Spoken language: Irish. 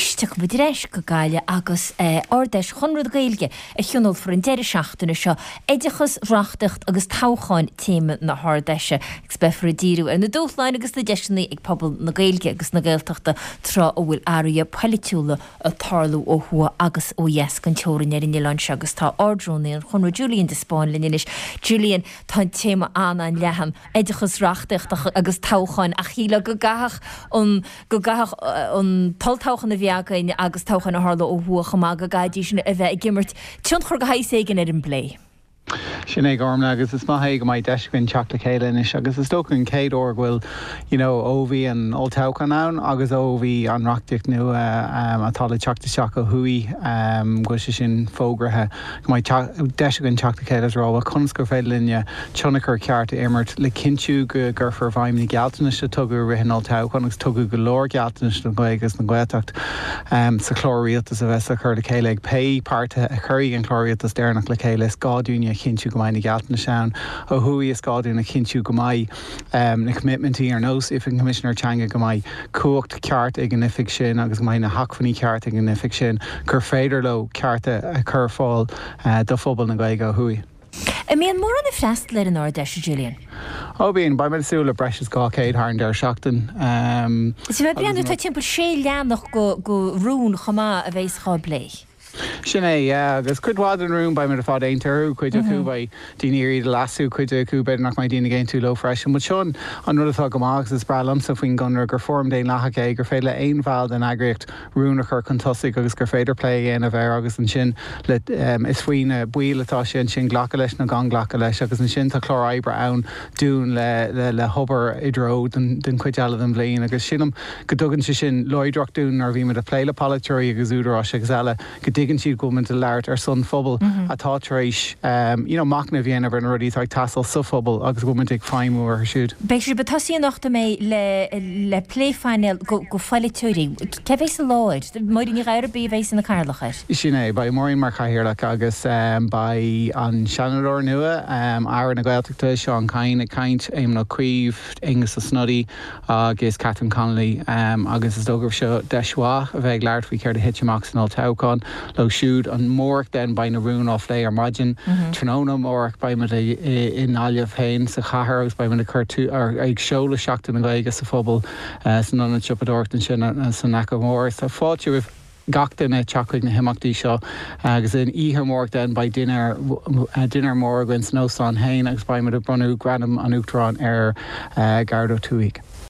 Anois tiocfaidh muid ar ais go Gaillimh agus Ard-Fheis Chonradh na Gaeilge a thionólfar an deireadh seachtaine seo. Oideachas, reachtaíocht agus toghcháin téama na hArd-Fheise agus beifear ag díriú ar na dúshláin agus na deiseanna ag pobal na Gaeilge agus na Gaeltachta tráth a bhfuil athruithe poilitiúla ag tarlú ó thuaidh agus ó dheas den teorainn ar an oileán seo agus tá Ard-Rúnaí an Chonradh Julian de Spáinn linn anois. Julian, tá an téama an-an-leathan, oideachas, reachtaíocht agus toghcháin ach shílfeá go gcaithfeadh an go gcaithfeadh an t-olltoghchán a bhí againn agus toghcháin a tharla ó thuaidh chomh maith, go gcaithfidís sin a bheith ag imirt tionchar de shaghas éigin ar an bplé. Sin é Gormlaith agus is maith é go mbeidh deis againn teacht le chéile anois agus is dócha an chéad uair go bhfuil you know ó bhí an olltoghchán ann agus ó bhí an reachtaíocht nua atá le teacht isteach ó thuaidh go bhfuil sé sin fógraithe go mbeidh deis againn teacht le chéile is rá bhuel conas gur féidir linne tionchar ceart a imirt le cinntiú go gcuirfear i bhfeidhm na gealltanais a tugadh i rith an olltoghcháin agus tugadh go leor gealltanais don Ghaeilge agus don Ghaeltacht sa chlár rialtais a bheas á chur le chéile ag pé páirtithe a chuirfidh an clár rialtais deireanach le chéile. Is gá dúinne a chinntiú go mbeidh na gealltanais ann ó thuaidh, is gá dúinn a chinntiú go mbeidh na coimitmintí ar nós Oifig an Choimisinéir Teanga, go mbeidh cumhacht ceart ag an oifig sin agus go mbeidh na hacmhainní ceart ag an oifig sin gur féidir leo cearta a chur ar fáil do phobal na Gaeilge ó thuaidh. An mbíonn mórán ag freastal ar an Ard-Fheis, a Julian? Ó bíonn. Beidh muid ag súil le breis is 200 thar an deireadh seachtain. Is mé ag breathnú, tá timpeall 6 leathanach de rún chomh maith a bheas á bplé. Sin é, yeah. Agus cuid mhaith den rún beidh muid ar fad aontaithe orthu, cuid acu beidh daoine ag iarraidh iad a leasú, cuid acu b'fhéidir nach mbeidh daoine ag aontú leo freisin. But seo an rud atá go maith agus is breá liomsa faoin gConradh, gur fóram daonlathach é, gur féidir le aon bhall den eagraíocht rún a chur chun tosaigh agus gur féidir plé a dhéanamh air agus ansin le is faoi na baill atá sé ansin glacadh leis nó gan glacadh leis agus ansin tá clár oibre ann dúinn le le hobair i dtreo den den chuid eile den bhliain agus sílim go dtugann sé sin láidreacht dúinn nuair a bhímid ag plé le polaiteoirí agus údaráis agus eile go dtuigeann siad go bhfuilimid ag labhairt ar son phobal atá tar éis you know machnamh a dhéanamh ar na rudaí atá ag teastáil sa phobal agus go bhfuilimid ag feidhmiú orthu siúd. Beidh sibh ag tosaí anocht an mbeidh le le plé phainéal go go pholaiteoirí. Cé a bheas i láthair? Máirín Ní Ghairbhí a bheas ina cathaoirleach air. Sin é, beidh Máirín mar chathaoirleach agus beidh an Seanadóir nua, Aire na Gaeltachta, Seán Kyne ag caint, Éamon Ó Cuív, Aengus Ó Snodaigh, agus Catherine Connolly agus is dócha gurb seo deis mhaith a bheith ag labhairt faoi céard a thit amach san olltoghchán leo siúd. Amárach then beidh na rúin á phlé ar maidin. Tráthnóna amárach beidh muid i nGaillimh féin sa chathair agus beidh muid ag cur ag seoladh Seachtain na Gaeilge sa phobal san ionad siopadóireachta ansin san Fhaiche Mhór. Tá fáilte roimh gach duine teacht chuig na himeachtaí seo agus an oíche amárach then beidh dinnéar dinnéar mór againn san óstán féin agus beidh muid ag bronnadh Gradam an Uachtaráin ar Gearóid Ó Tuathaigh.